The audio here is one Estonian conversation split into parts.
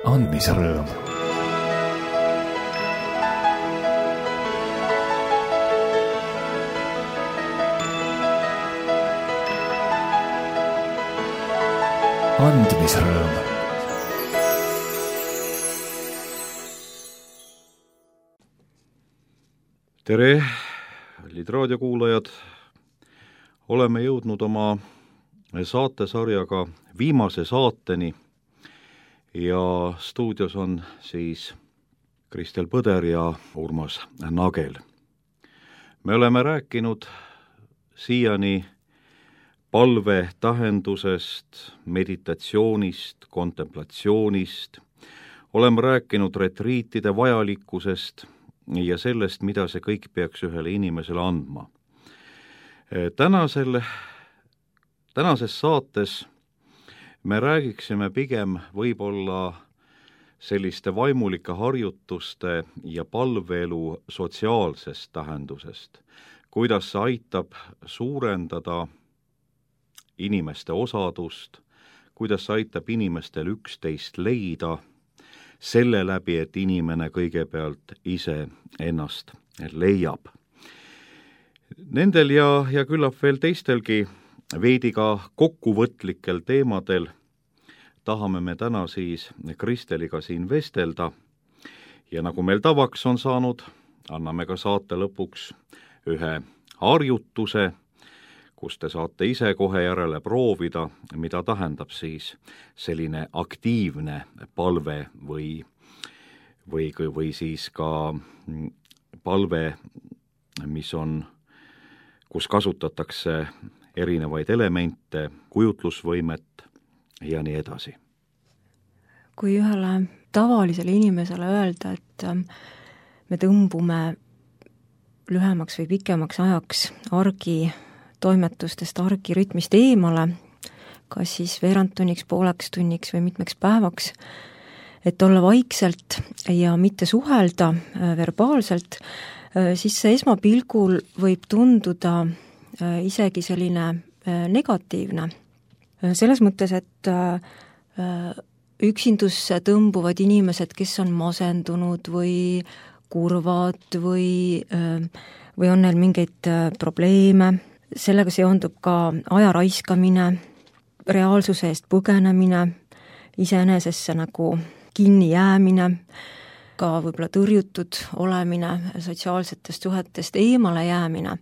andmisrõõm. andmisrõõm. Tere, kallid raadiokuulajad! Oleme jõudnud oma saatesarjaga viimase saateni ja stuudios on siis Kristel Põder ja Urmas Nagel. Me oleme rääkinud siiani palve tähendusest, meditatsioonist, kontemplatsioonist, oleme rääkinud retriitide vajalikkusest ja sellest, mida see kõik peaks ühele inimesele andma. Tänases saates me räägiksime pigem võib-olla selliste vaimulike harjutuste ja palveelu sotsiaalsest tähendusest, kuidas see aitab suurendada inimeste osadust, kuidas see aitab inimestel üksteist leida, selle läbi, et inimene kõigepealt ise ennast leiab. Nendel ja küllap veel teistelgi veidi ka kokkuvõtlikel teemadel tahame me täna siis Kristeliga siin vestelda ja nagu meil tavaks on saanud, anname ka saate lõpuks ühe harjutuse, kus te saate ise kohe järele proovida, mida tähendab siis selline aktiivne palve või siis ka palve, kus kasutatakse erinevaid elemente, kujutlusvõimet ja nii edasi. Kui ühele tavalisele inimesele öelda, et me tõmbume lühemaks või pikemaks ajaks toimetustest, argirütmist eemale, kas siis veerand tunniks, pooleks tunniks või mitmeks päevaks, et olla vaikselt ja mitte suhelda verbaalselt, siis see esmapilgul võib tunduda isegi selline negatiivne. Selles mõttes, et üksindusse tõmbuvad inimesed, kes on masendunud või kurvad või on neil mingeid probleeme, sellega seondub ka aja raiskamine, reaalsuse eest põgenemine, iseenesesse nagu kinni jäämine, ka võib-olla tõrjutud olemine, sotsiaalsetest suhetest eemale jäämine.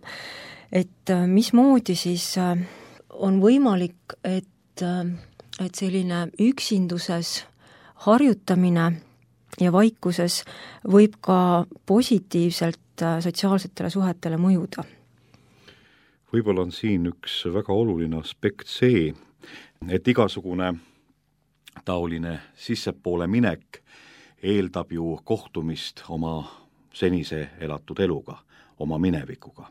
Et mismoodi siis on võimalik, et selline üksinduses harjutamine ja vaikuses võib ka positiivselt sotsiaalsetele suhetele mõjuda? Võib-olla on siin üks väga oluline aspekt see, et igasugune taoline sissepoole minek eeldab ju kohtumist oma senise elatud eluga, oma minevikuga,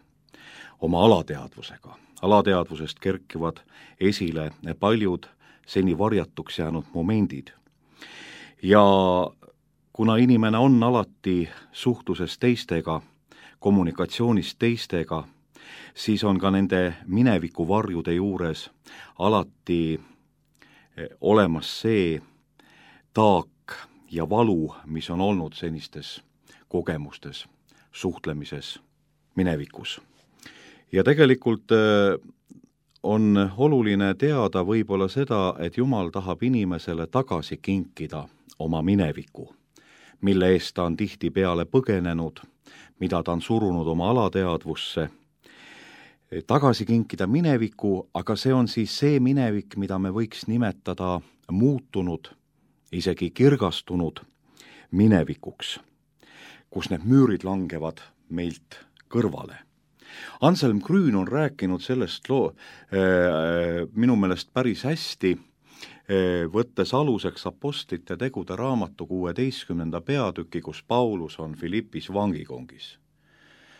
oma alateadvusega. Alateadvusest kerkivad esile paljud seni varjatuks jäänud momendid. Ja kuna inimene on alati suhtluses teistega, kommunikatsioonis teistega, siis on ka nende minevikuvarjude juures alati olemas see taak ja valu, mis on olnud senistes kogemustes, suhtlemises minevikus. Ja tegelikult on oluline teada võib-olla seda, et Jumal tahab inimesele tagasi kinkida oma mineviku, mille eest ta on tihtipeale põgenenud, mida ta on surunud oma alateadvusse, tagasi kinkida mineviku, aga see on siis see minevik, mida me võiks nimetada muutunud, isegi kirgastunud minevikuks, kus need müürid langevad meilt kõrvale. Anselm Grün on rääkinud sellest minu meelest päris hästi, võttes aluseks Apostlite tegude raamatu 16. peatüki, kus Paulus on Filippis vangikongis.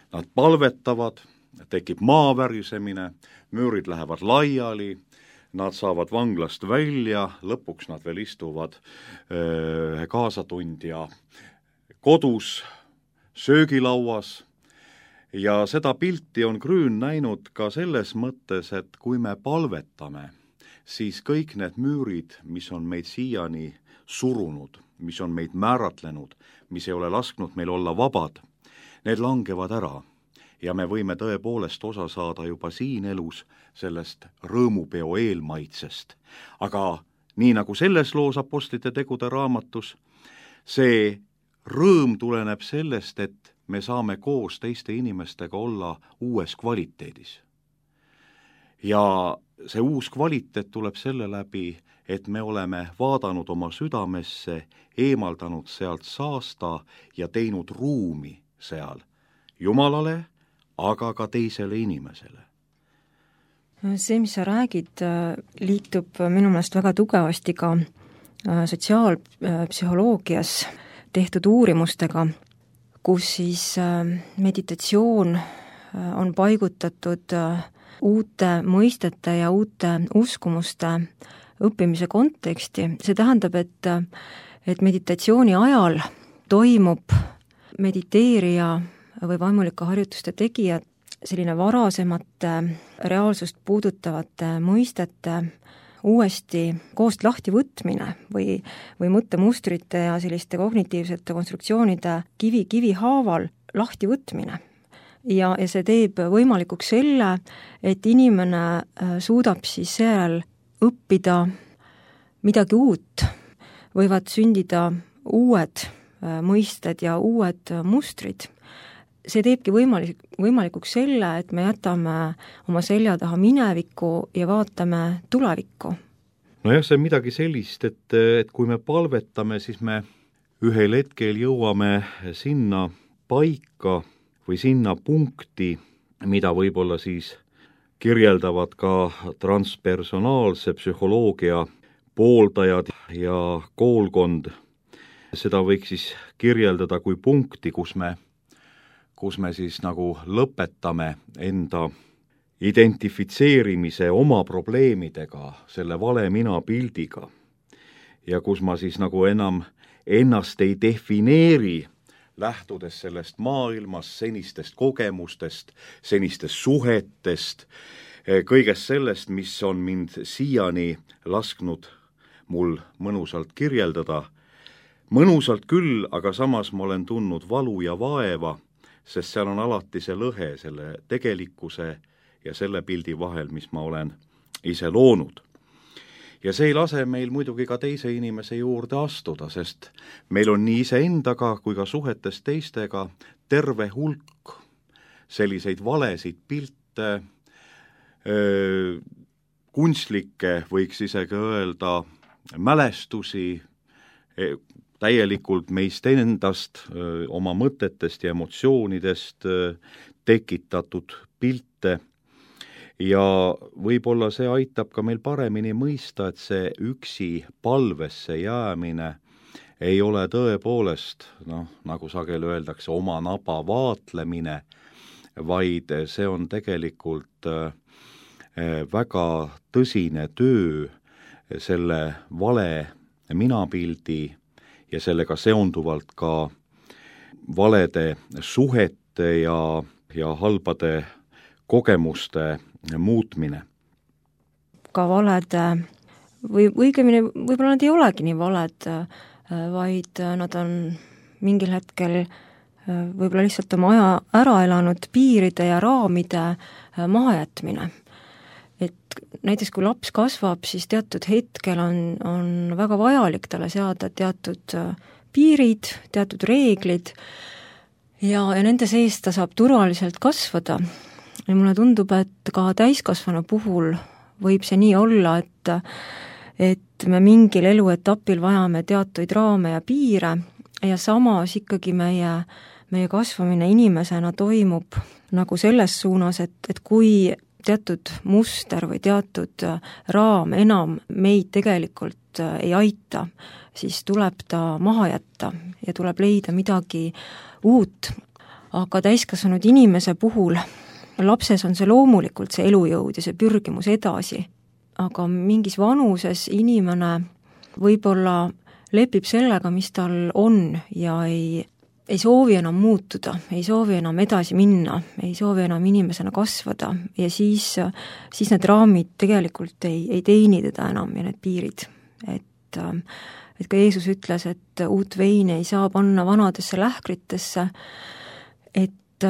Nad palvetavad, tekib maavärjusemine, müürid lähevad laiali, nad saavad vanglast välja, lõpuks nad veel istuvad kaasatundja kodus, söögilauas, ja seda pilti on Grün näinud ka selles mõttes, et kui me palvetame, siis kõik need müürid, mis on meid siiani surunud, mis on meid määratlenud, mis ei ole lasknud meil olla vabad, need langevad ära ja me võime tõepoolest osa saada juba siin elus sellest rõõmupeo eelmaitsest. Aga nii nagu selles loos Apostlite tegude raamatus, see rõõm tuleneb sellest, et me saame koos teiste inimestega olla uues kvaliteedis. Ja see uus kvaliteet tuleb selle läbi, et me oleme vaadanud oma südamesse, eemaldanud sealt saasta ja teinud ruumi seal Jumalale, aga ka teisele inimesele. See, mis sa räägid, liitub minu meelest väga tugevasti ka sotsiaalpsühholoogias tehtud uurimustega, kus siis meditatsioon on paigutatud uute mõistete ja uute uskumuste õppimise konteksti. See tähendab, et meditatsiooni ajal toimub mediteerija või vaimulike harjutuste tegija selline varasemate reaalsust puudutavate mõistete uuesti koost lahti võtmine või mõttemustrite ja selliste kognitiivsete konstruktsioonide kivi haaval lahti võtmine. Ja see teeb võimalikuks selle, et inimene suudab siis seejärel õppida midagi uut, võivad sündida uued mõisted ja uued mustrid. See teebki võimalikuks selle, et me jätame oma selja taha minevikku ja vaatame tulevikku. Nojah, see on midagi sellist, et kui me palvetame, siis me ühel hetkel jõuame sinna paika või sinna punkti, mida võib-olla siis kirjeldavad ka transpersonaalse psühholoogia pooldajad ja koolkond. Seda võiks siis kirjeldada kui punkti, kus me siis nagu lõpetame enda identifitseerimise oma probleemidega, selle vale mina pildiga. Ja kus ma siis nagu enam ennast ei defineeri, lähtudes sellest maailmast, senistest kogemustest, senistest suhetest, kõigest sellest, mis on mind siiani lasknud mul mõnusalt kirjeldada. Mõnusalt küll, aga samas ma olen tundnud valu ja vaeva, sest seal on alati see lõhe selle tegelikkuse ja selle pildi vahel, mis ma olen ise loonud. Ja see ei lase meil muidugi ka teise inimese juurde astuda, sest meil on nii iseendaga kui ka suhetes teistega terve hulk selliseid valesid pilte, kunstlikke, võiks isegi öelda, mälestusi, täielikult meist endast, oma mõtetest ja emotsioonidest tekitatud pilte ja võib-olla see aitab ka meil paremini mõista, et see üksi palvesse jäämine ei ole tõepoolest, nagu sageli öeldakse, oma naba vaatlemine, vaid see on tegelikult väga tõsine töö selle vale minapildi ja sellega seonduvalt ka valede suhete ja halbade kogemuste muutmine. Ka valede, või õigemini võib-olla nad ei olegi nii valed, vaid nad on mingil hetkel võib-olla lihtsalt oma aja ära elanud piiride ja raamide mahajätmine. Et näiteks kui laps kasvab, siis teatud hetkel on väga vajalik talle seada teatud piirid, teatud reeglid ja nende sees ta saab turvaliselt kasvada. Ja mulle tundub, et ka täiskasvanu puhul võib see nii olla, et me mingil eluetapil vajame teatuid raame ja piire ja samas ikkagi meie kasvamine inimesena toimub nagu selles suunas, et kui teatud muster või teatud raam enam meid tegelikult ei aita, siis tuleb ta maha jätta ja tuleb leida midagi uut. Aga täiskasvanud inimese puhul, lapses on see loomulikult see elujõud ja see pürgimus edasi, aga mingis vanuses inimene võib-olla lepib sellega, mis tal on ja ei soovi enam muutuda, ei soovi enam edasi minna, ei soovi enam inimesena kasvada ja siis need raamid tegelikult ei teeni teda enam ja need piirid. et ka Jeesus ütles, et uut veini ei saa panna vanadesse lähkritesse, et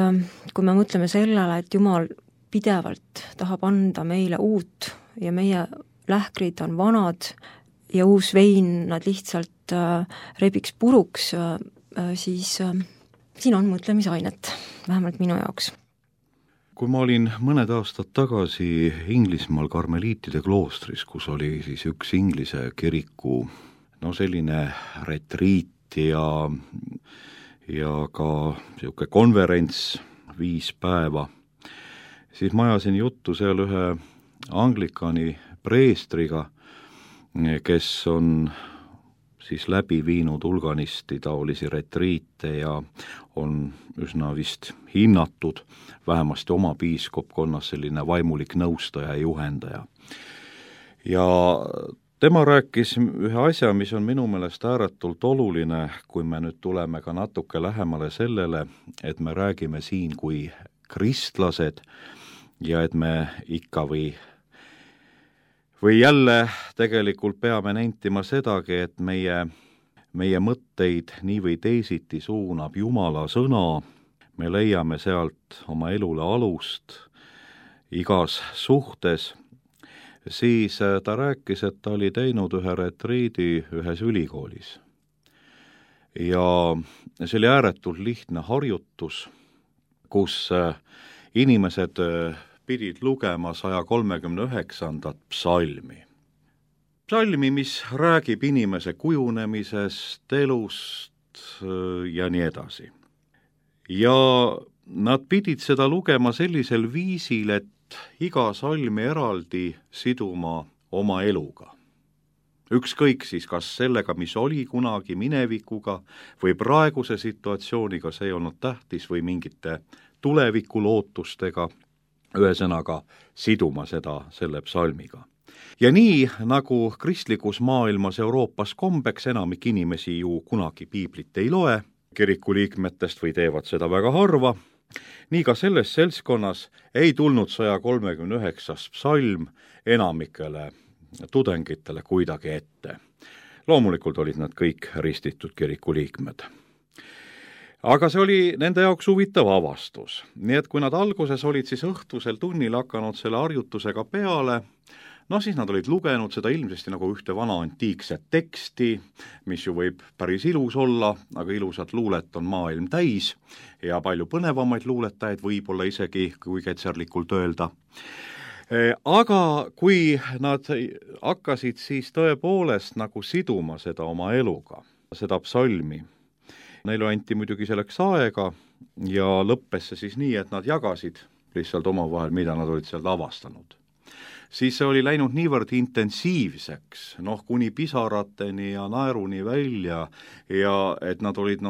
kui me mõtleme sellele, et Jumal pidevalt tahab anda meile uut ja meie lähkrid on vanad ja uus vein nad lihtsalt rebiks puruks, siis siin on mõtlemisainet, vähemalt minu jaoks. Kui ma olin mõned aastad tagasi Inglismaal karmeliitide kloostris, kus oli siis üks Inglise kiriku selline retriit ja ka niisugune konverents 5 päeva, siis ma ajasin juttu seal ühe anglikani preestriga, kes on siis läbi viinud hulganisti taolisi retriite ja on üsna vist hinnatud, vähemasti oma piiskopkonnas selline vaimulik nõustaja ja juhendaja. Ja tema rääkis ühe asja, mis on minu meelest ääretult oluline, kui me nüüd tuleme ka natuke lähemale sellele, et me räägime siin kui kristlased ja et me ikka või jälle tegelikult peame nentima sedagi, et meie mõtteid nii või teisiti suunab Jumala sõna, me leiame sealt oma elule alust igas suhtes, siis ta rääkis, et ta oli teinud ühe retriidi ühes ülikoolis. Ja see oli ääretult lihtne harjutus, kus inimesed pidid lugema 139. psalmi. Psalmi, mis räägib inimese kujunemisest, elust ja nii edasi. Ja nad pidid seda lugema sellisel viisil, et iga salmi eraldi siduma oma eluga. Ükskõik siis kas sellega, mis oli kunagi minevikuga või praeguse situatsiooniga, see ei olnud tähtis, või mingite tulevikulootustega, ühesõnaga siduma seda selle psalmiga. Ja nii, nagu kristlikus maailmas Euroopas kombeks, enamik inimesi ju kunagi piiblit ei loe, kiriku liikmetest või teevad seda väga harva, nii ka selles seltskonnas ei tulnud 139. psalm enamikele tudengitele kuidagi ette. Loomulikult olid nad kõik ristitud kiriku liikmed. Aga see oli nende jaoks huvitav avastus. Nii et kui nad alguses olid siis õhtusel tunnil hakanud selle harjutusega peale, siis nad olid lugenud seda ilmsesti nagu ühte vana antiikset teksti, mis ju võib päris ilus olla, aga ilusat luulet on maailm täis ja palju põnevamaid luuletajaid võib-olla isegi, kui ketserlikult öelda. Aga kui nad hakkasid siis tõepoolest nagu siduma seda oma eluga, seda psalmi, neile anti muidugi selleks aega ja lõppes see siis nii, et nad jagasid lihtsalt omavahel, mida nad olid sealt avastanud. Siis see oli läinud niivõrd intensiivseks, kuni pisarateni ja naeruni välja ja et nad olid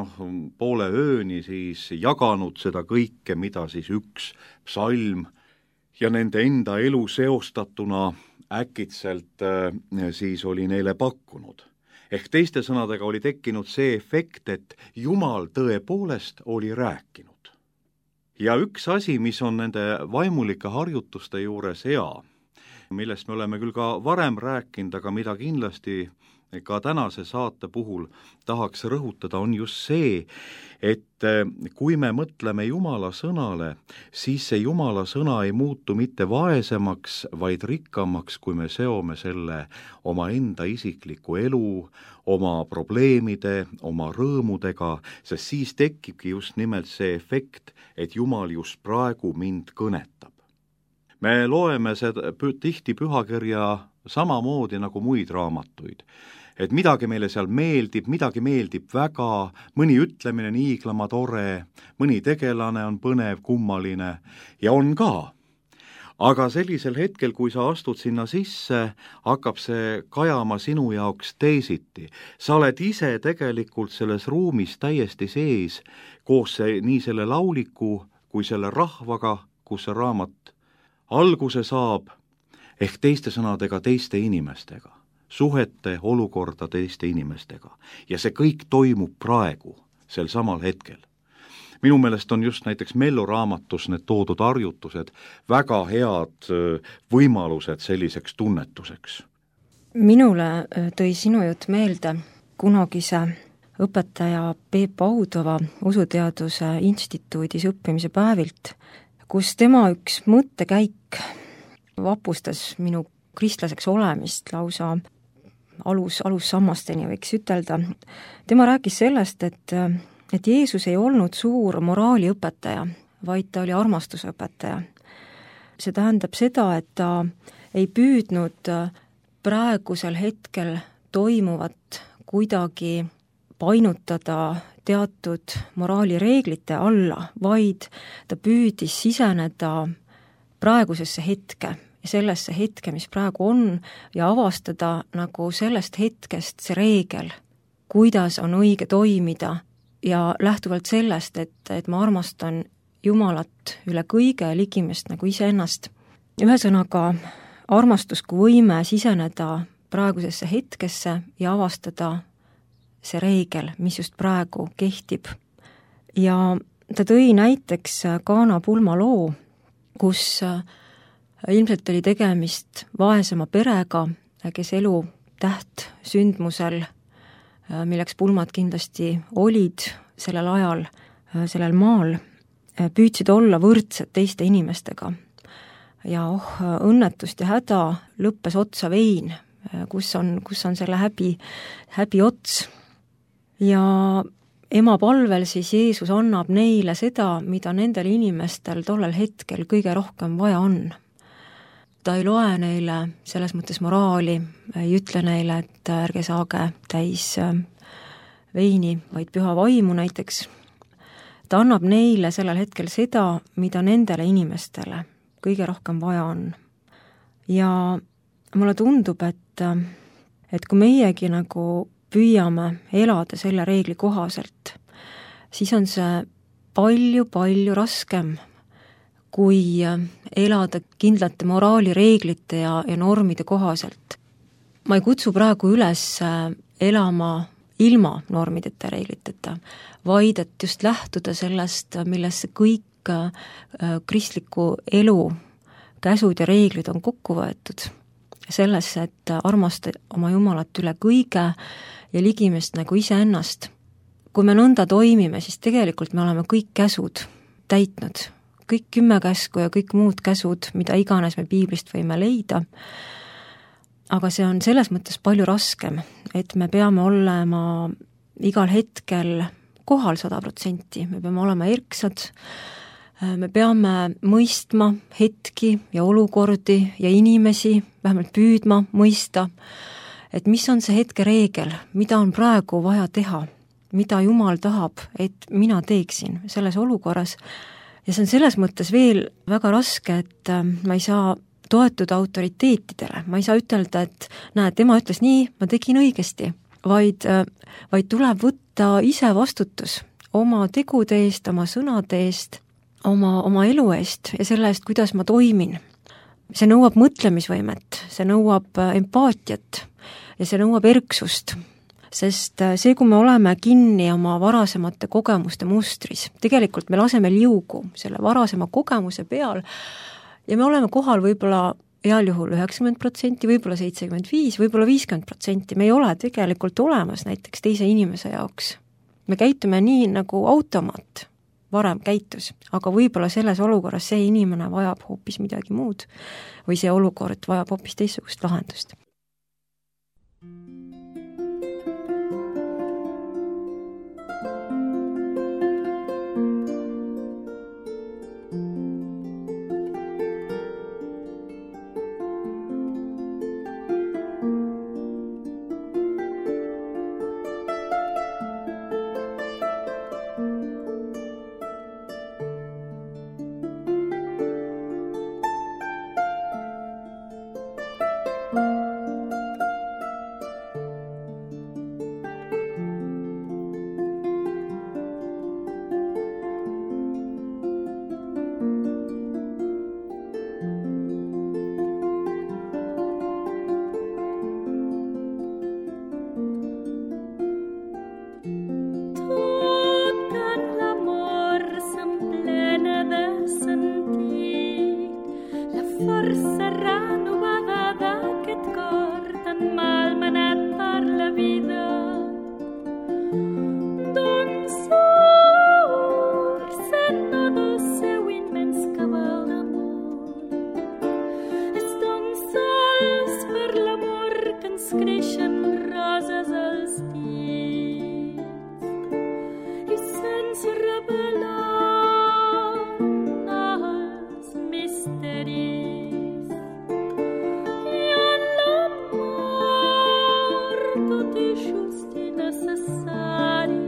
poole ööni siis jaganud seda kõike, mida siis üks psalm ja nende enda elu seostatuna äkitselt siis oli neile pakkunud. Ehk teiste sõnadega oli tekkinud see efekt, et Jumal tõepoolest oli rääkinud. Ja üks asi, mis on nende vaimulike harjutuste juures hea, millest me oleme küll ka varem rääkinud, aga mida kindlasti ka tänase saate puhul tahaks rõhutada, on just see, et kui me mõtleme Jumala sõnale, siis see Jumala sõna ei muutu mitte vaesemaks, vaid rikkamaks, kui me seome selle oma enda isikliku elu, oma probleemide, oma rõõmudega, sest siis tekibki just nimelt see efekt, et Jumal just praegu mind kõnetab. Me loeme seda tihti pühakirja samamoodi nagu muid raamatuid, et midagi meile seal meeldib, midagi meeldib väga, mõni ütlemine on hiiglama tore, mõni tegelane on põnev, kummaline ja on ka. Aga sellisel hetkel, kui sa astud sinna sisse, hakkab see kajama sinu jaoks teisiti. Sa oled ise tegelikult selles ruumis täiesti sees, koos nii selle lauliku kui selle rahvaga, kus see raamat alguse saab, ehk teiste sõnadega teiste inimestega, suhete olukorda teiste inimestega. Ja see kõik toimub praegu, sel samal hetkel. Minu meelest on just näiteks Mello raamatus need toodud harjutused väga head võimalused selliseks tunnetuseks. Minule tõi sinu jutt meelde kunagise õpetaja Peep Audova Usuteaduse instituudis õppimise päevilt, kus tema üks mõttekäik vapustas minu kristlaseks olemist lausa alussammasteni, võiks ütelda. Tema rääkis sellest, et Jeesus ei olnud suur moraaliõpetaja, vaid ta oli armastusõpetaja. See tähendab seda, et ta ei püüdnud praegusel hetkel toimuvat kuidagi painutada teatud moraalireeglite alla, vaid ta püüdis siseneda praegusesse hetke ja sellesse hetke, mis praegu on, ja avastada nagu sellest hetkest see reegel, kuidas on õige toimida ja lähtuvalt sellest, et ma armastan Jumalat üle kõige ja ligimest nagu iseennast. Ühesõnaga, armastus kui võime siseneda praegusesse hetkesse ja avastada see reegel, mis just praegu kehtib. Ja ta tõi näiteks Kaana pulma loo, kus ilmselt oli tegemist vaesema perega, kes elu tähtsündmusel, milleks pulmad kindlasti olid sellel ajal, sellel maal, püüdsid olla võrdsed teiste inimestega. Ja õnnetust ja häda lõppes otsa vein, kus on selle häbi ots. Ja ema palvel siis Jeesus annab neile seda, mida nendel inimestel tollel hetkel kõige rohkem vaja on. Ta ei loe neile selles mõttes moraali, ei ütle neile, et ärge saage täis veini, vaid püha vaimu näiteks. Ta annab neile sellel hetkel seda, mida nendele inimestele kõige rohkem vaja on. Ja mulle tundub, et kui meiegi nagu püüame elada selle reegli kohaselt, siis on see palju raskem, kui elada kindlate moraalireeglite ja normide kohaselt. Ma ei kutsu praegu üles elama ilma normideta, reegliteta, vaid et just lähtuda sellest, millesse kõik kristliku elu käsud ja reeglid on kokku võetud. Sellesse, et armasta oma Jumalat üle kõige ja ligimest nagu iseennast. Kui me nõnda toimime, siis tegelikult me oleme kõik käsud täitnud. Kõik 10 käsku ja kõik muud käsud, mida iganes me piiblist võime leida. Aga see on selles mõttes palju raskem, et me peame olema igal hetkel kohal 100%, me peame olema erksad, me peame mõistma hetki ja olukordi ja inimesi, vähemalt püüdma mõista, et mis on see hetke reegel, mida on praegu vaja teha, mida Jumal tahab, et mina teeksin selles olukorras. Ja see on selles mõttes veel väga raske, et ma ei saa toetuda autoriteetidele, ma ei saa ütelda, et näed, tema ütles nii, ma tegin õigesti, vaid tuleb võtta ise vastutus oma tegude eest, oma sõnade eest, oma elu eest ja selle eest, kuidas ma toimin. See nõuab mõtlemisvõimet, see nõuab empaatiat ja see nõuab erksust, sest see, kui me oleme kinni oma varasemate kogemuste mustris, tegelikult me laseme liugu selle varasema kogemuse peal ja me oleme kohal võib-olla heal juhul 90%, võib-olla 75%, võib-olla 50%, me ei ole tegelikult olemas näiteks teise inimese jaoks. Me käitume nii, nagu automaat varem käitus, aga võib-olla selles olukorras see inimene vajab hoopis midagi muud või see olukord vajab hoopis teistsugust lahendust. creixen roses als dits i sense revelar els misteris. I en l'amor tot és just i necessari.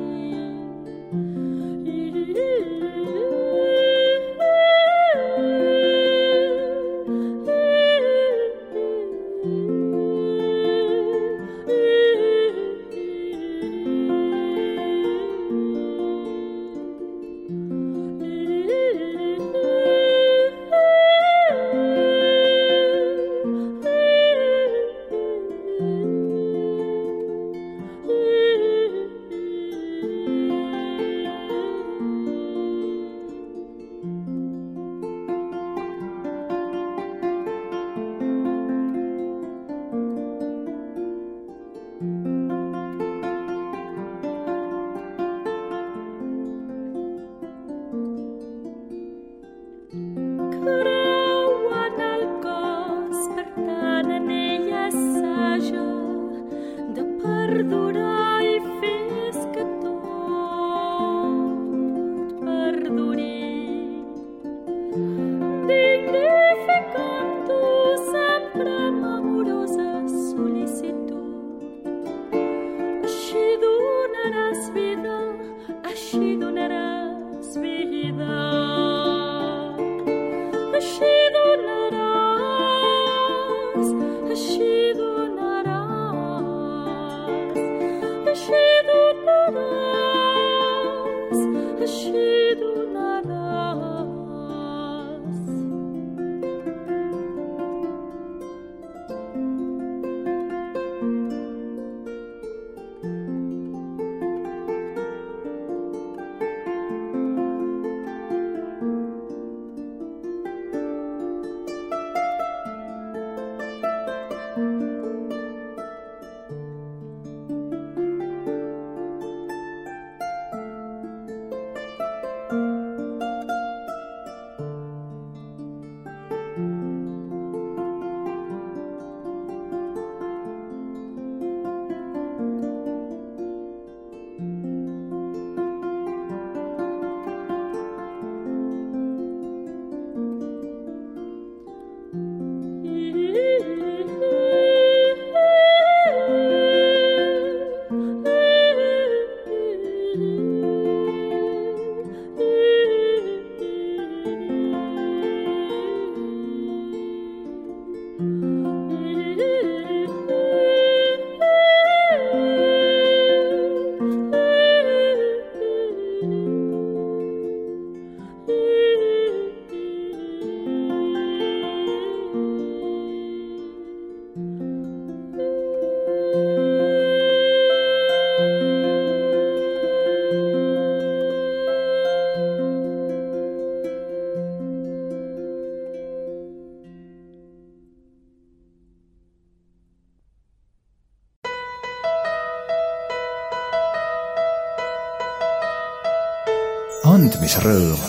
andmisrõõm.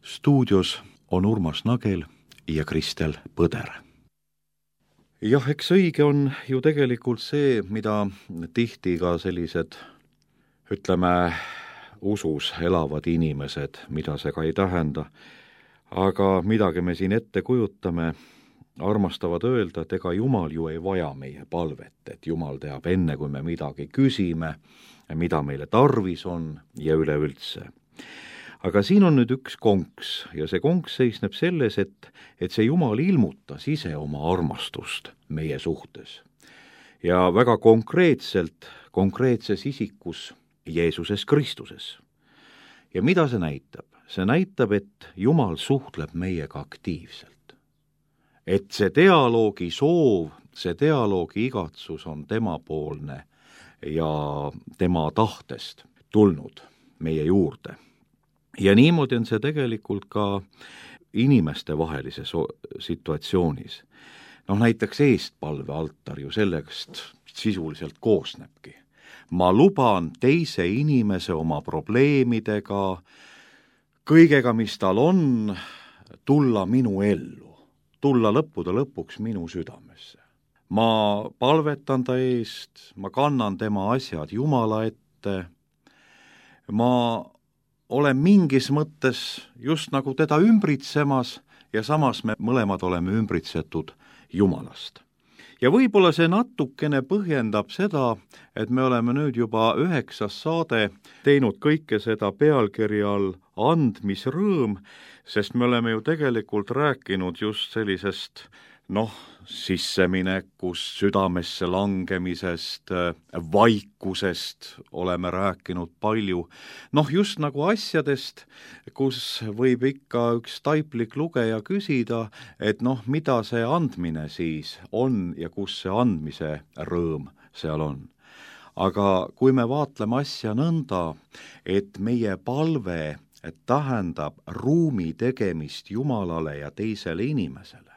Stuudios on Urmas Nagel ja Kristel Põder. Jah, eks õige on ju tegelikult see, mida tihti ka sellised, ütleme, usus elavad inimesed, mida see ka ei tähenda, aga midagi me siin ette kujutame, armastavad öelda, et ega Jumal ju ei vaja meie palvet, et Jumal teab enne, kui me midagi küsime, mida meile tarvis on ja üleüldse. Aga siin on nüüd üks konks ja see konks seisneb selles, et see Jumal ilmutas ise oma armastust meie suhtes. Ja väga konkreetselt, konkreetses isikus Jeesuses Kristuses. Ja mida see näitab? See näitab, et Jumal suhtleb meiega aktiivselt. Et see dialoogi soov, see dialoogi igatsus on temapoolne ja tema tahtest tulnud meie juurde. Ja niimoodi on see tegelikult ka inimeste vahelises situatsioonis. Näiteks eestpalvealtar ju sellest sisuliselt koosnebki. Ma luban teise inimese oma probleemidega, kõigega, mis tal on, tulla minu ellu. tulla lõppude lõpuks minu südamesse. Ma palvetan ta eest, ma kannan tema asjad Jumala ette, ma olen mingis mõttes just nagu teda ümbritsemas ja samas me mõlemad oleme ümbritsetud Jumalast. Ja võib-olla see natukene põhjendab seda, et me oleme nüüd juba 9. saade teinud kõike seda pealkirja all andmisrõõm, sest me oleme ju tegelikult rääkinud just sellisest sisseminekust, südamesse langemisest, vaikusest oleme rääkinud palju. Just nagu asjadest, kus võib ikka üks taiplik lugeja küsida, et mida see andmine siis on ja kus see andmise rõõm seal on. Aga kui me vaatleme asja nõnda, et meie palve tähendab ruumi tegemist Jumalale ja teisele inimesele,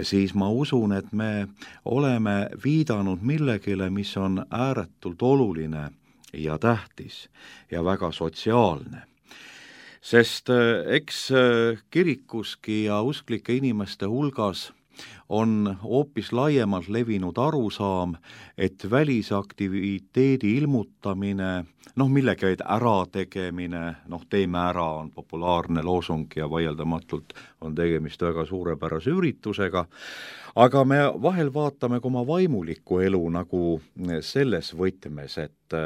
siis ma usun, et me oleme viidanud millegile, mis on ääretult oluline ja tähtis ja väga sotsiaalne. Sest eks kirikuski ja usklike inimeste hulgas on hoopis laiemalt levinud arusaam, et välisaktiviteedi ilmutamine, millegi ärategemine, teeme ära on populaarne loosung ja vaieldamatult on tegemist väga suurepärase üritusega, aga me vahel vaatame ka oma vaimulikku elu nagu selles võtmes, et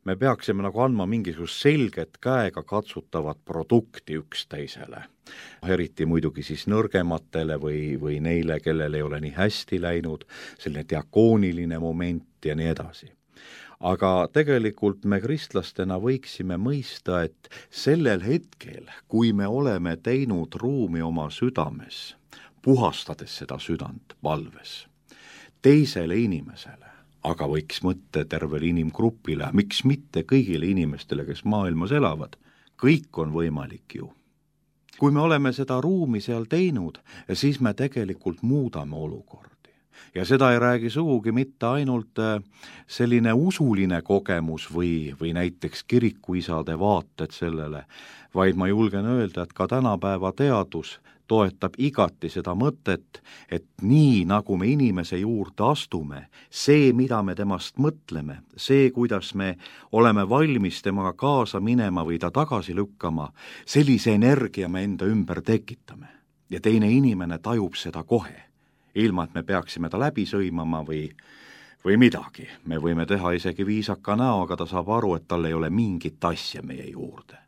me peaksime nagu andma mingisugust selget käega katsutavat produkti üksteisele. Eriti muidugi siis nõrgematele või neile, kellel ei ole nii hästi läinud, selline diakooniline moment ja nii edasi. Aga tegelikult me kristlastena võiksime mõista, et sellel hetkel, kui me oleme teinud ruumi oma südames, puhastades seda südant palves, teisele inimesele, aga võiks mõtte tervele inimgrupile, miks mitte kõigile inimestele, kes maailmas elavad, kõik on võimalik ju. Kui me oleme seda ruumi seal teinud, siis me tegelikult muudame olukordi. Ja seda ei räägi sugugi mitte ainult selline usuline kogemus või näiteks kirikuisade vaated sellele, vaid ma julgen öelda, et ka tänapäeva teadus toetab igati seda mõtet, et nii nagu me inimese juurde astume, see, mida me temast mõtleme, see, kuidas me oleme valmis temaga kaasa minema või ta tagasi lükkama, sellise energia me enda ümber tekitame. Ja teine inimene tajub seda kohe, ilma et me peaksime ta läbi sõimama või midagi. Me võime teha isegi viisaka näo, aga ta saab aru, et tal ei ole mingit asja meie juurde.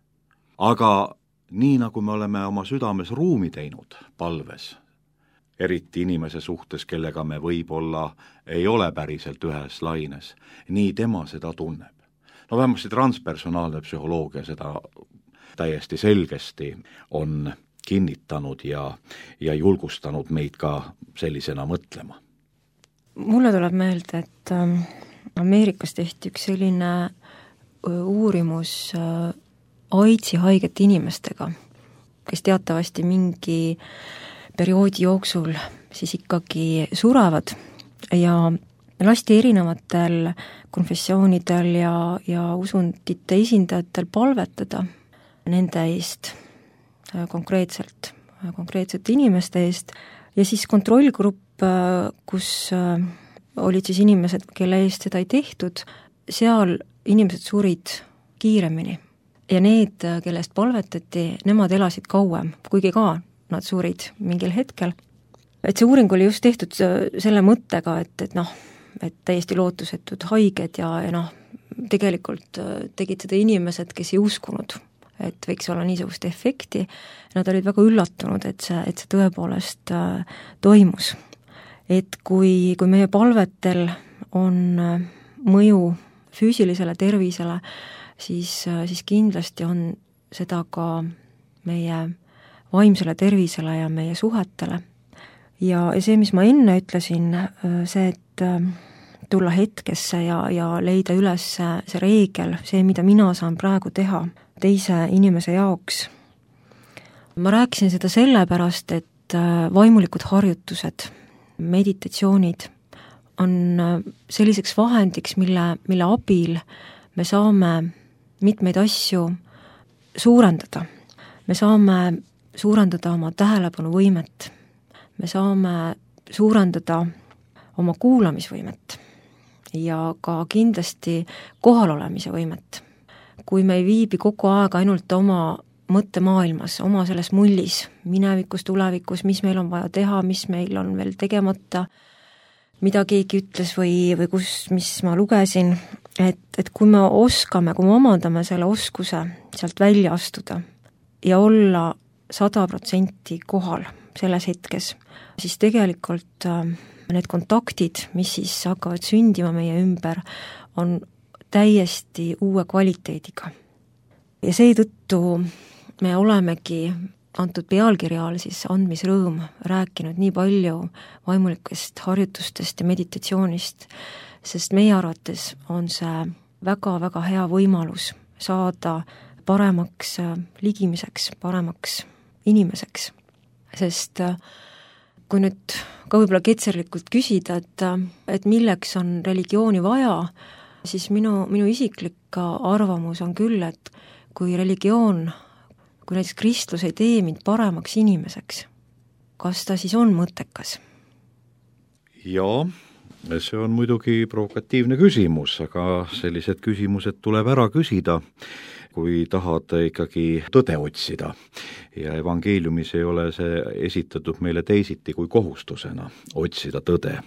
Aga nii nagu me oleme oma südames ruumi teinud palves, eriti inimese suhtes, kellega me võib-olla ei ole päriselt ühes laines, nii tema seda tunneb. Vähemasti transpersonaalne psühholoogia seda täiesti selgesti on kinnitanud ja julgustanud meid ka sellisena mõtlema. Mulle tuleb meelde, et Ameerikas tehti üks selline uurimus AIDSi haigete inimestega, kes teatavasti mingi perioodi jooksul siis ikkagi surevad ja lasti erinevatel konfessioonidel ja usundite esindajatel palvetada nende eest konkreetsete inimeste eest ja siis kontrollgrupp, kus olid siis inimesed, kelle eest seda ei tehtud, seal inimesed surid kiiremini. Ja need, kellest palvetati, nemad elasid kauem, kuigi ka nad surid mingil hetkel. Et see uuring oli just tehtud selle mõttega, et täiesti lootusetud haiged ja tegelikult tegid seda inimesed, kes ei uskunud, et võiks olla niisugust efekti. Nad olid väga üllatunud, et see tõepoolest toimus. Et kui meie palvetel on mõju füüsilisele tervisele, siis kindlasti on seda ka meie vaimsele tervisele ja meie suhetele. Ja see, mis ma enne ütlesin, see, et tulla hetkesse ja leida üles see reegel, see, mida mina saan praegu teha teise inimese jaoks. Ma rääkisin seda sellepärast, et vaimulikud harjutused, meditatsioonid on selliseks vahendiks, mille abil me saame mitmeid asju suurendada. Me saame suurendada oma tähelepanuvõimet. me saame suurendada oma kuulamisvõimet ja ka kindlasti kohalolemise võimet. Kui me ei viibi kogu aeg ainult oma mõttemaailmas, oma selles mullis, minevikus, tulevikus, mis meil on vaja teha, mis meil on veel tegemata, mida keegi ütles või mis ma lugesin, et kui me oskame, kui me omandame selle oskuse sealt välja astuda ja olla 100% kohal selles hetkes, siis tegelikult need kontaktid, mis siis hakkavad sündima meie ümber, on täiesti uue kvaliteediga. Ja seetõttu me olemegi antud pealkirja all siis andmisrõõm rääkinud nii palju vaimulikest harjutustest ja meditatsioonist, sest meie arvates on see väga-väga hea võimalus saada paremaks ligimiseks, paremaks inimeseks. Sest kui nüüd ka võib-olla ketserlikult küsida, et milleks on religiooni vaja, siis minu isiklik arvamus on küll, et kui religioon, kui näiteks kristlus ei tee mind paremaks inimeseks, kas ta siis on mõttekas? Jaa, see on muidugi provokatiivne küsimus, aga sellised küsimused tuleb ära küsida, kui tahad ikkagi tõde otsida. Ja evangeeliumis ei ole see esitatud meile teisiti kui kohustusena otsida tõde.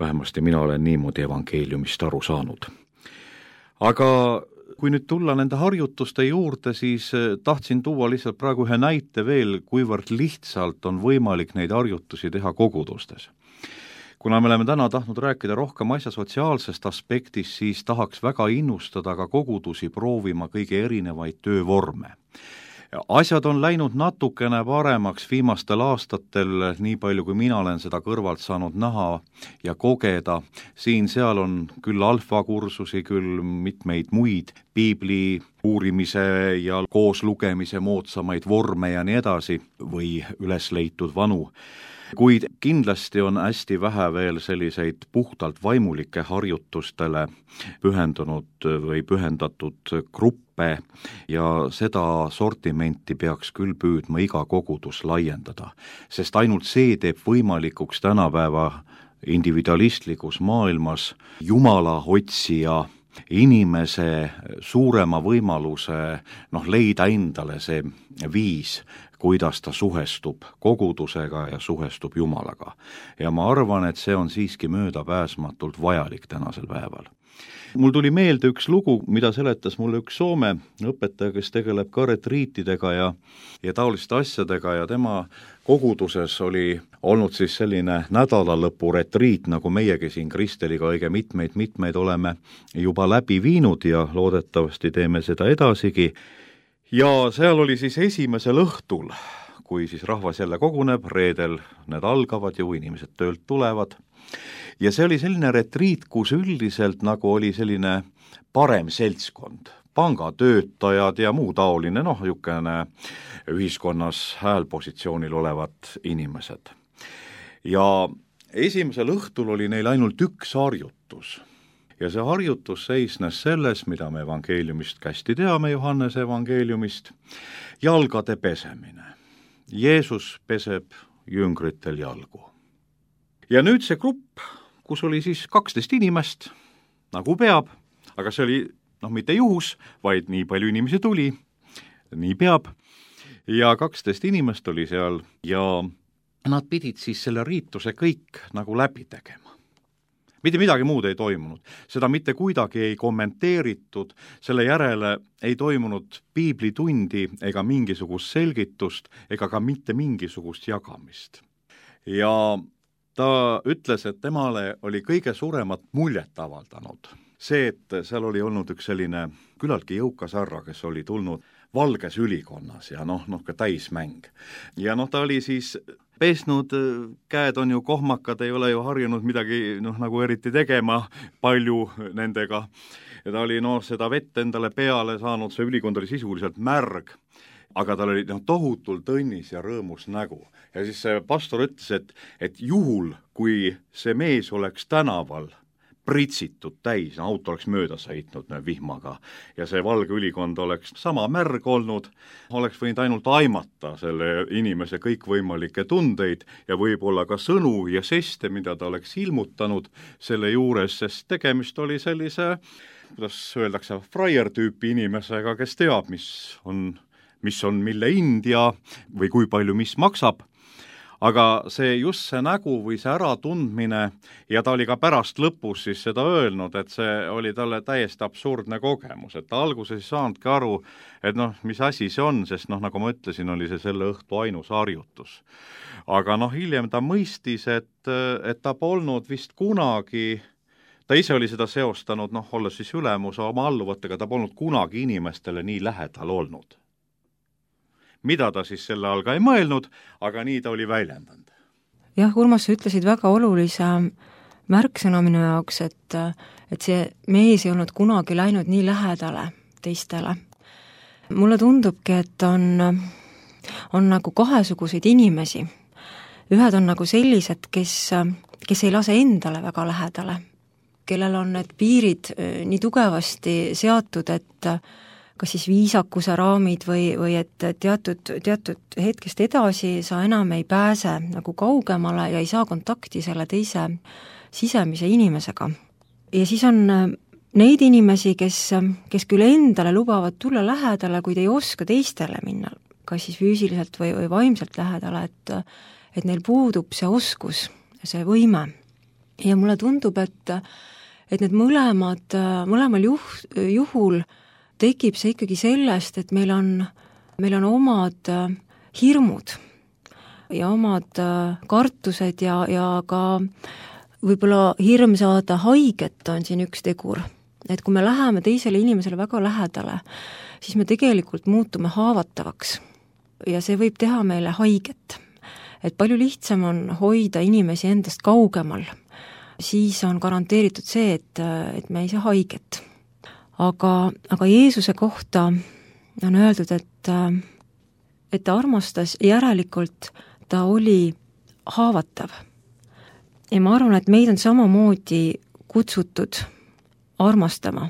Vähemasti mina olen niimoodi evangeeliumist aru saanud. Aga kui nüüd tulla nende harjutuste juurde, siis tahtsin tuua lihtsalt praegu ühe näite veel, kuivõrd lihtsalt on võimalik neid harjutusi teha kogudustes. Kuna me oleme täna tahtnud rääkida rohkem asja sotsiaalsest aspektist, siis tahaks väga innustada ka kogudusi proovima kõige erinevaid töövorme. Asjad on läinud natukene paremaks viimastel aastatel, nii palju kui mina olen seda kõrvalt saanud näha ja kogeda. Siin-seal on küll alfakursusi, küll mitmeid muid piibli uurimise ja koos lugemise moodsamaid vorme ja nii edasi või üles leitud vanu. Kuid kindlasti on hästi vähe veel selliseid puhtalt vaimulike harjutustele pühendunud või pühendatud gruppe ja seda sortimenti peaks küll püüdma iga kogudus laiendada, sest ainult see teeb võimalikuks tänapäeva individualistlikus maailmas Jumala otsija inimese suurema võimaluse leida endale see viis, kuidas ta suhestub kogudusega ja suhestub Jumalaga. Ja ma arvan, et see on siiski möödapääsmatult vajalik tänasel päeval. Mul tuli meelde üks lugu, mida seletas mulle üks Soome õpetaja, kes tegeleb ka retriitidega ja taoliste asjadega ja tema koguduses oli olnud siis selline nädalalõpu retriit, nagu meiegi siin Kristeliga õige mitmeid oleme juba läbi viinud ja loodetavasti teeme seda edasigi. Ja seal oli siis esimesel õhtul, kui siis rahvas jälle koguneb, reedel need algavad ju, inimesed töölt tulevad. Ja see oli selline retriit, kus üldiselt nagu oli selline parem seltskond, pangatöötajad ja muu taoline, niisugune ühiskonnas häälpositsioonil olevad inimesed. Ja esimesel õhtul oli neil ainult üks harjutus. Ja see harjutus seisnes selles, mida me evangeeliumist kästi teame, Johannese evangeeliumist, jalgade pesemine. Jeesus peseb jüngritel jalgu. Ja nüüd see grupp, kus oli siis 12 inimest, nagu peab, aga see oli mitte juhus, vaid nii palju inimesi tuli, nii peab, ja 12 inimest oli seal ja nad pidid siis selle riituse kõik nagu läbi tegema. Mitte midagi muud ei toimunud, seda mitte kuidagi ei kommenteeritud, selle järele ei toimunud piiblitundi ega mingisugust selgitust ega ka mitte mingisugust jagamist. Ja ta ütles, et temale oli kõige suuremat muljet avaldanud see, et seal oli olnud üks selline küllaltki jõukas härra, kes oli tulnud valges ülikonnas ja ka täismäng. Ja ta oli siis pesnud, käed on ju kohmakad, ei ole ju harjunud midagi nagu eriti tegema palju nendega. Ja ta oli seda vett endale peale saanud, see ülikond oli sisuliselt märg, aga tal oli tohutult õnnis ja rõõmus nägu. Ja siis see pastor ütles, et juhul, kui see mees oleks tänaval pritsitud täis, auto oleks mööda sõitnud vihmaga ja see valge ülikond oleks sama märg olnud, oleks võinud ainult aimata selle inimese kõikvõimalikke tundeid ja võib-olla ka sõnu ja žeste, mida ta oleks ilmutanud selle juures, sest tegemist oli sellise, kuidas öeldakse, fraier-tüüpi inimesega, kes teab, mis on mille hind ja või kui palju mis maksab. Aga just see nägu või see äratundmine ja ta oli ka pärast lõpus siis seda öelnud, et see oli talle täiesti absurdne kogemus, et ta alguses ei saanudki aru, et mis asi see on, sest nagu ma ütlesin, oli see selle õhtu ainus harjutus. Aga hiljem ta mõistis, et ta polnud vist kunagi, ta ise oli seda seostanud, olles siis ülemus oma alluvatega, ta polnud kunagi inimestele nii lähedal olnud. Mida ta siis selle all ka ei mõelnud, aga nii ta oli väljendanud. Jah, Urmas, sa ütlesid väga olulise märksõna minu jaoks, et see mees ei olnud kunagi läinud nii lähedale teistele. Mulle tundubki, et on nagu kahesuguseid inimesi. Ühed on nagu sellised, kes ei lase endale väga lähedale, kellel on need piirid nii tugevasti seatud, et kas siis viisakuse raamid või et teatud hetkest edasi sa enam ei pääse nagu kaugemale ja ei saa kontakti selle teise sisemise inimesega. Ja siis on neid inimesi, kes küll endale lubavad tulla lähedale, kuid ei oska teistele minna, kas siis füüsiliselt või vaimselt lähedale, et neil puudub see oskus, see võime. Ja mulle tundub, et need mõlemal juhul tekib see ikkagi sellest, et meil on omad hirmud ja omad kartused ja ka võib-olla hirm saada haiget on siin üks tegur. Et kui me läheme teisele inimesele väga lähedale, siis me tegelikult muutume haavatavaks ja see võib teha meile haiget. Et palju lihtsam on hoida inimesi endast kaugemal, siis on garanteeritud see, et me ei saa haiget. Aga Jeesuse kohta on öeldud, et ta armastas, järelikult ta oli haavatav. Ja ma arvan, et meid on samamoodi kutsutud armastama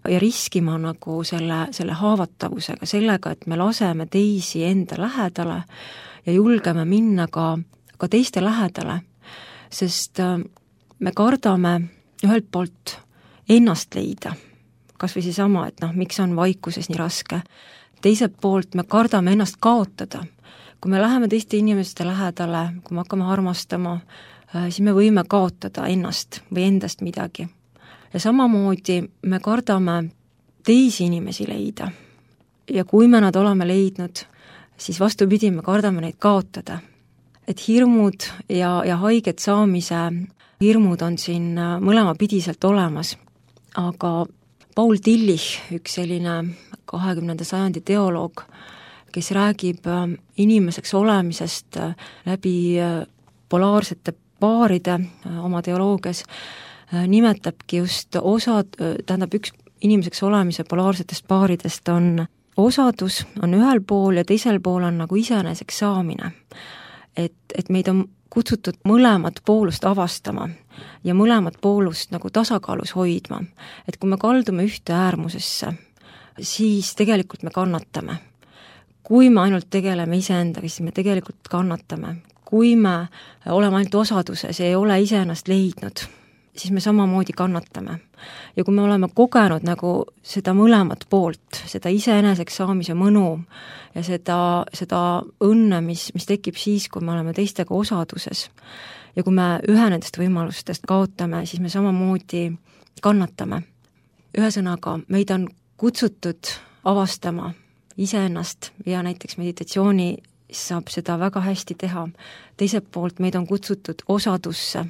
ja riskima nagu selle haavatavusega, sellega, et me laseme teisi enda lähedale ja julgeme minna ka teiste lähedale, sest me kardame ühelt poolt ennast leida, kas või seesama, et miks on vaikuses nii raske. Teiselt poolt me kardame ennast kaotada. Kui me läheme teiste inimeste lähedale, kui me hakkame armastama, siis me võime kaotada ennast või endast midagi. Ja samamoodi me kardame teisi inimesi leida. Ja kui me nad oleme leidnud, siis vastupidi, me kardame neid kaotada. Et hirmud ja haiget saamise hirmud on siin mõlemapidiselt olemas, aga Paul Tillich, üks selline 20. sajandi teoloog, kes räägib inimeseks olemisest läbi polaarsete paaride oma teoloogias, nimetabki just üks inimeseks olemise polaarsetest paaridest on osadus, on ühel pool ja teisel pool on nagu iseeneseks saamine. Et meid on kutsutud mõlemat poolust avastama ja mõlemat poolust nagu tasakaalus hoidma. Et kui me kaldume ühte äärmusesse, siis tegelikult me kannatame. Kui me ainult tegeleme iseendaga, siis me tegelikult kannatame. Kui me oleme ainult osaduses ja ei ole iseennast leidnud, siis me samamoodi kannatame. Ja kui me oleme kogenud nagu seda mõlemat poolt, seda iseeneseks saamise mõnu ja seda õnne, mis tekib siis, kui me oleme teistega osaduses, ja kui me ühe nendest võimalustest kaotame, siis me samamoodi kannatame. Ühesõnaga, meid on kutsutud avastama iseennast ja näiteks meditatsiooni saab seda väga hästi teha. Teiselt poolt meid on kutsutud osadusse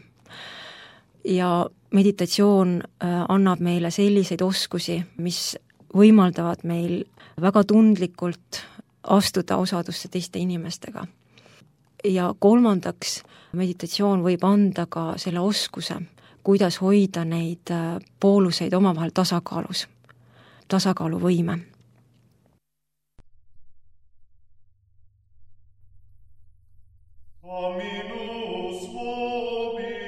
ja meditatsioon annab meile selliseid oskusi, mis võimaldavad meil väga tundlikult astuda osadusse teiste inimestega. Ja kolmandaks, meditatsioon võib anda ka selle oskuse, kuidas hoida neid pooluseid omavahel tasakaalus, tasakaaluvõime. Dominus vobiscum.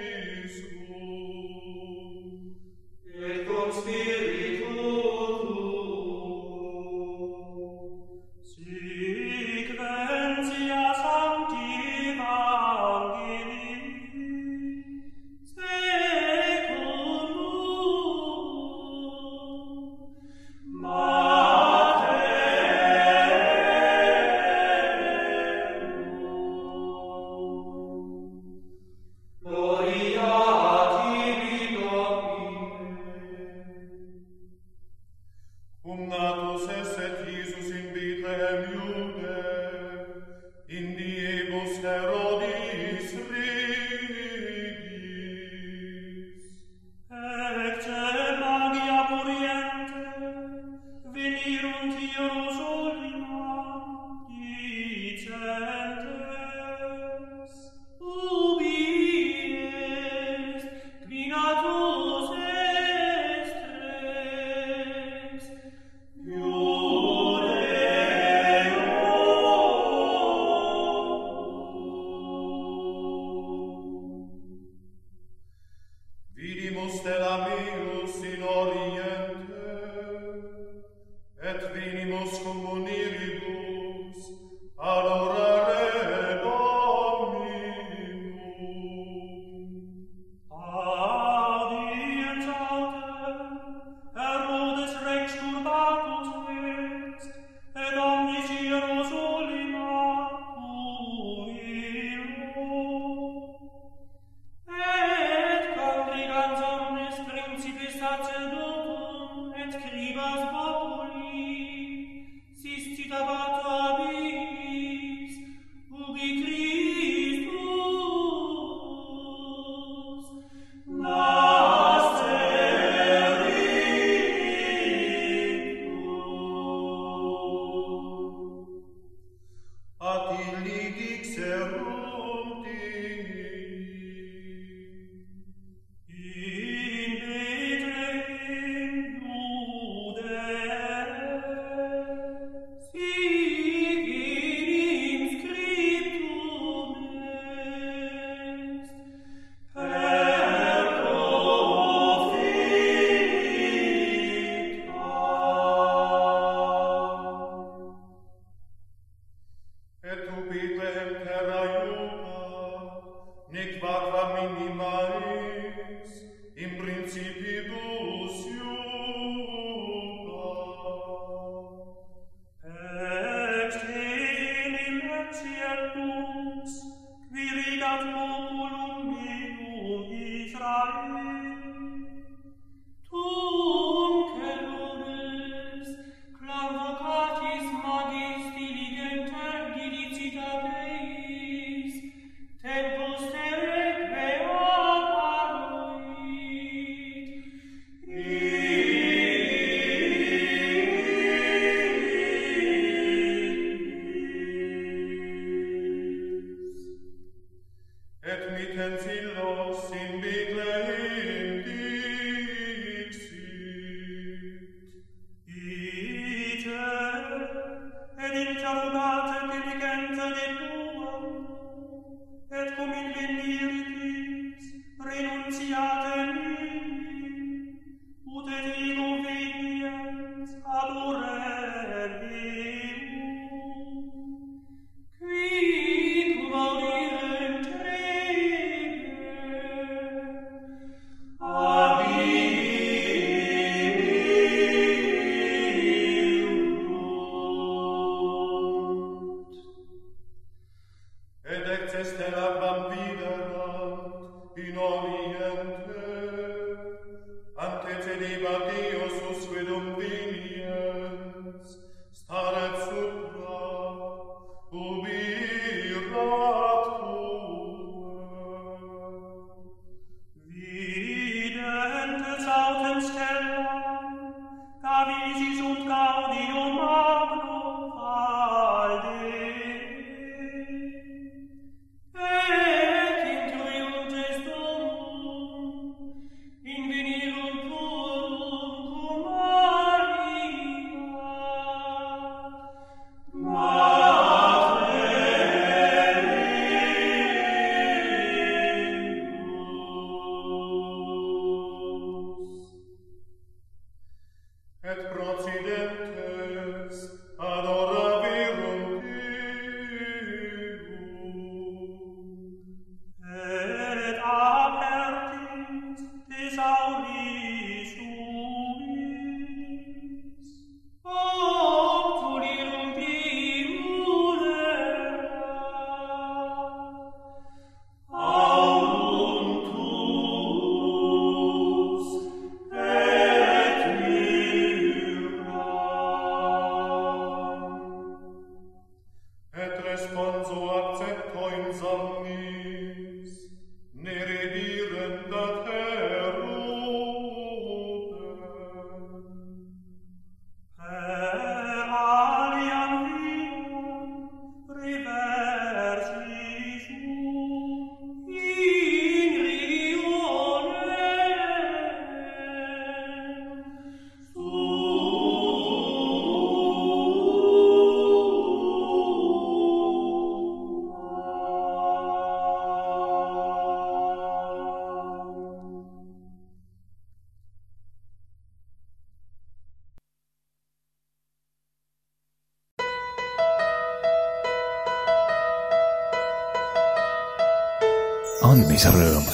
andmise rõõm.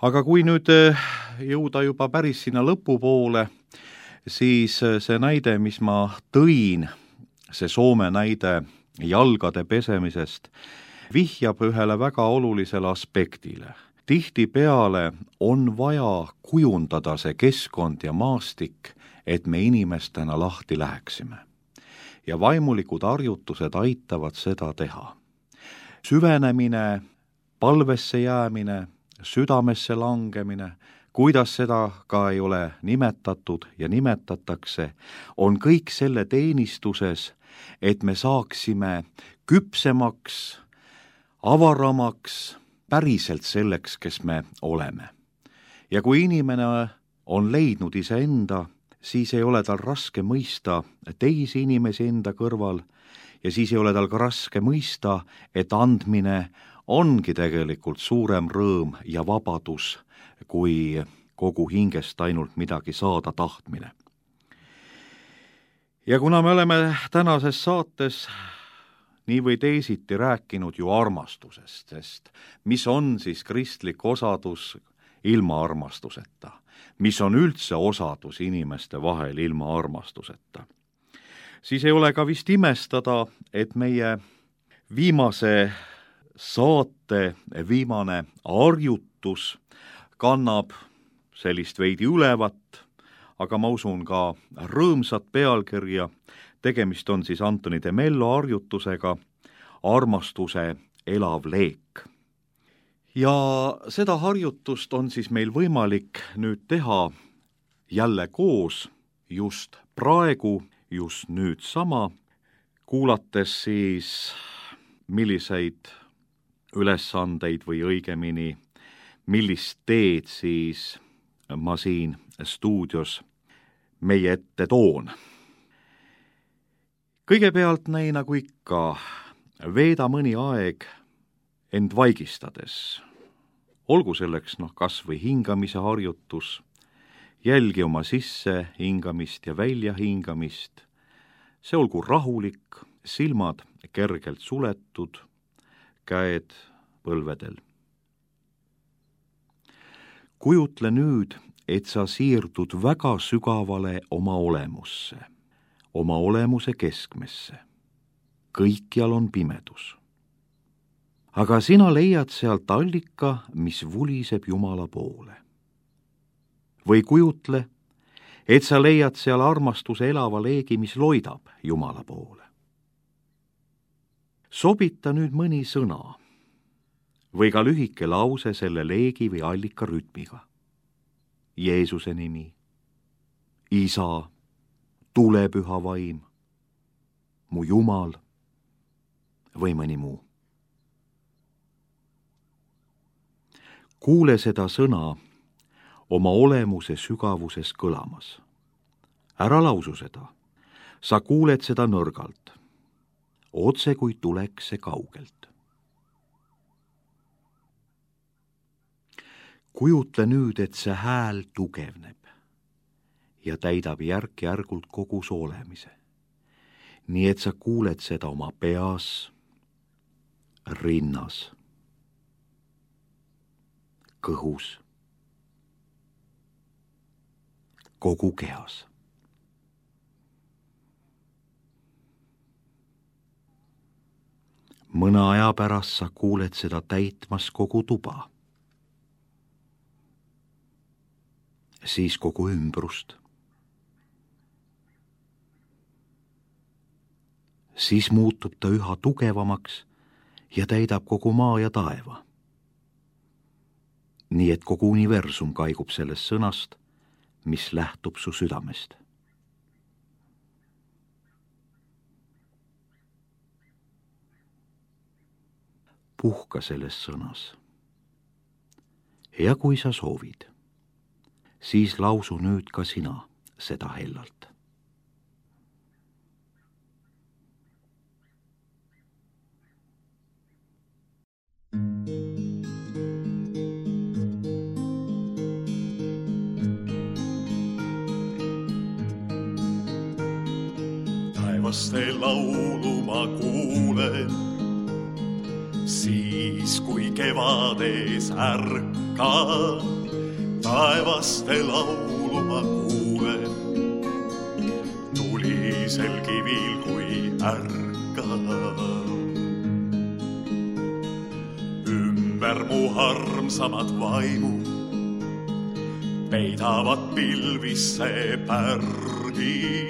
Aga kui nüüd jõuda juba päris sinna lõpupoole, siis see näide, mis ma tõin, see Soome näide jalgade pesemisest, vihjab ühele väga olulisele aspektile. Tihtipeale on vaja kujundada see keskkond ja maastik, et me inimestena lahti läheksime. Ja vaimulikud harjutused aitavad seda teha. Süvenemine, palvesse jäämine, südamesse langemine, kuidas seda ka ei ole nimetatud ja nimetatakse, on kõik selle teenistuses, et me saaksime küpsemaks, avaramaks, päriselt selleks, kes me oleme. Ja kui inimene on leidnud iseenda, siis ei ole tal raske mõista teisi inimesi enda kõrval ja siis ei ole tal ka raske mõista, et andmine ongi tegelikult suurem rõõm ja vabadus, kui kogu hingest ainult midagi saada tahtmine. Ja kuna me oleme tänases saates nii või teisiti rääkinud ju armastusest, sest mis on siis kristlik osadus ilma armastuseta? Mis on üldse osadus inimeste vahel ilma armastuseta? Siis ei ole ka vist imestada, et meie viimase saate viimane harjutus kannab sellist veidi ülevat, aga ma usun ka rõõmsat pealkirja. Tegemist on siis Antoni de Mello harjutusega Armastuse elav leek. Ja seda harjutust on siis meil võimalik nüüd teha jälle koos just praegu, just nüüd sama, kuulates siis milliseid ülesandeid või õigemini, millist teed siis ma siin stuudios meie ette toon. Kõigepealt nii nagu ikka, veeda mõni aeg end vaigistades. Olgu selleks kas või hingamise harjutus, jälgi oma sisse hingamist ja välja hingamist. See olgu rahulik, silmad kergelt suletud, käed põlvedel. Kujutle nüüd, et sa siirdud väga sügavale oma olemusse, oma olemuse keskmesse. Kõikjal on pimedus. Aga sina leiad sealt allika, mis vuliseb Jumala poole. Või kujutle, et sa leiad seal armastuse elava leegi, mis loidab Jumala poole. Sobita nüüd mõni sõna või ka lühike lause selle leegi või allika rütmiga. Jeesuse nimi, Isa, tulepüha vaim, mu Jumal või mõni muu. Kuule seda sõna oma olemuse sügavuses kõlamas. Ära lausu seda, sa kuuled seda nõrgalt, otse kui tuleks see kaugelt. Kujutle nüüd, et see hääl tugevneb ja täidab järk-järgult kogu su olemise. Nii et sa kuuled seda oma peas, rinnas, kõhus, kogu kehas. Mõne aja pärast sa kuuled seda täitmas kogu tuba, siis kogu ümbrust. Siis muutub ta üha tugevamaks ja täidab kogu maa ja taeva. Nii et kogu universum kaigub sellest sõnast, mis lähtub su südamest. Puhka selles sõnas. Ja kui sa soovid, siis lausu nüüd ka sina seda hellalt. Taevaste laulu ma kuulen, siis kui kevades ärkab. Taevaste laulu ma kuulen, tulisel kivil kui ärkab. Ümber mu armsamad vaimud peidavad pilvisse pärgi,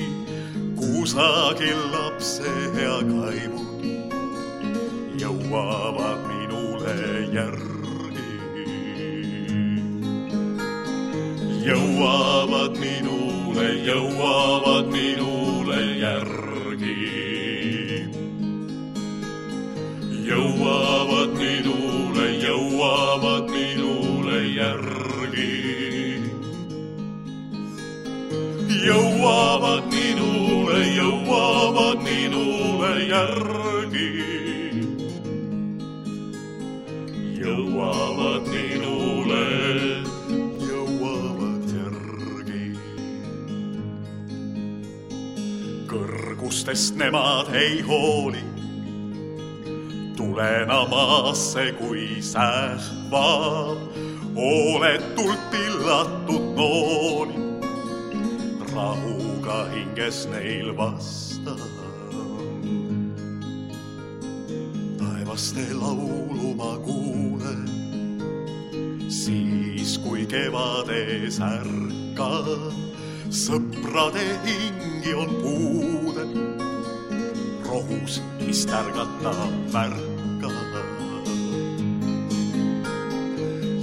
kusagil lapse hea kaimud jõuavad minule järgi. jõuavad minule järgi. Jõuavad minule järgi. Jõuavad minule järgi. Jõuavad minule järgi. Kõrgustest nemad ei hooli, tulena maasse kui sähvad, hooletult pillatud nooli, rahuga hinges neil vasta. Taevaste laulu ma kuulen, siis kui kevades ärkan, sõprade hingi on puudel, rohus, mis tärgata märka.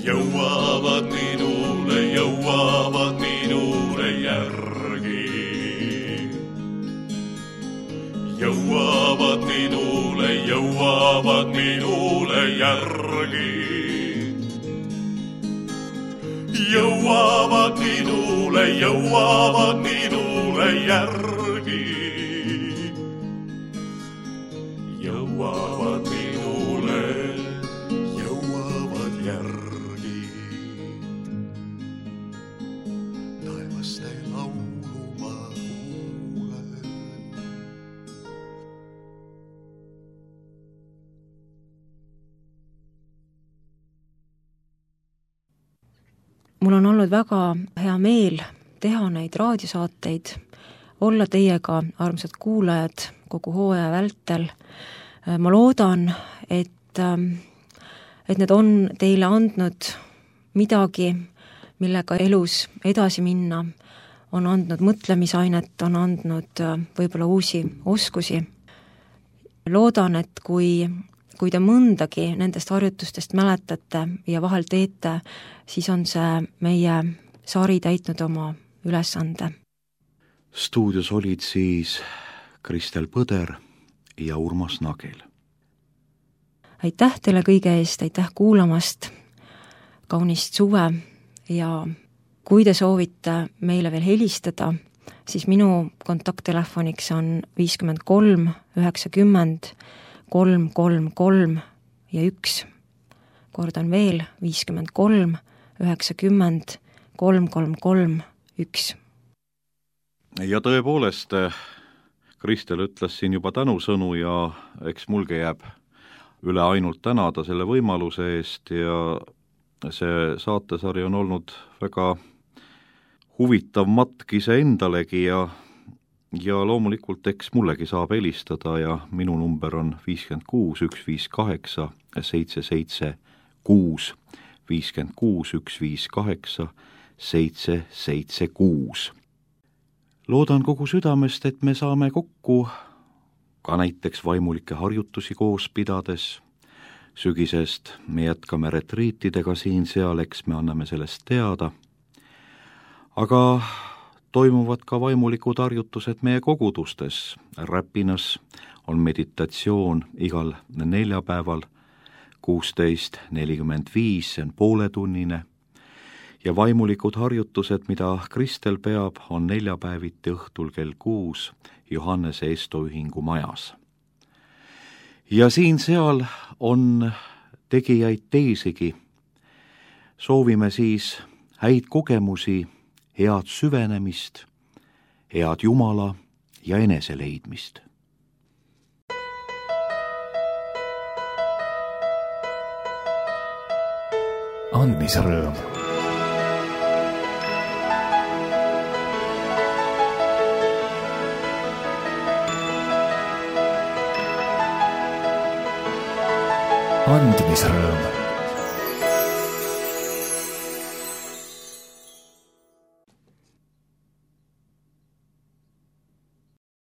Jõuavad minule järgi. Jõuavad minule järgi. Jõuavad minule järgi. Jõuavad järgi. Taevaste laulu ma kuulen. Mul on olnud väga hea meel teha neid raadiosaateid, olla teiega, armsad kuulajad, kogu hooaja vältel. Ma loodan, et need on teile andnud midagi, millega elus edasi minna, on andnud mõtlemisainet, on andnud võib-olla uusi oskusi. Loodan, et kui te mõndagi nendest harjutustest mäletate ja vahel teete, siis on see meie sari täitnud oma ülesande. Stuudios olid siis Kristel Põder ja Urmas Nagel. Aitäh teile kõige eest, aitäh kuulamast, kaunist suve ja kui te soovite meile veel helistada, siis minu kontakttelefoniks on 53 90 333 ja 1. Kordan veel 53 90 333 1. Ja tõepoolest, Kristel ütles siin juba tänusõnu ja eks mulge jääb üle ainult tänada selle võimaluse eest ja see saatesari on olnud väga huvitav matk iseendalegi ja loomulikult eks mullegi saab helistada ja minu number on 56 158 776 56 158 776. Loodan kogu südamest, et me saame kokku ka näiteks vaimulike harjutusi koos pidades. Sügisest me jätkame retriitidega siin-seal, eks me anname sellest teada. Aga toimuvad ka vaimulikud harjutused meie kogudustes. Räpinas on meditatsioon igal neljapäeval 16:45, see on pooletunnine. Ja vaimulikud harjutused, mida Kristel peab, on neljapäeviti õhtul kell 6 Johannese Estoühingu majas. Ja siin-seal on tegijaid teisigi. Soovime siis häid kogemusi, head süvenemist, head Jumala ja eneseleidmist. Andmisrõõm. Andmisrõõm.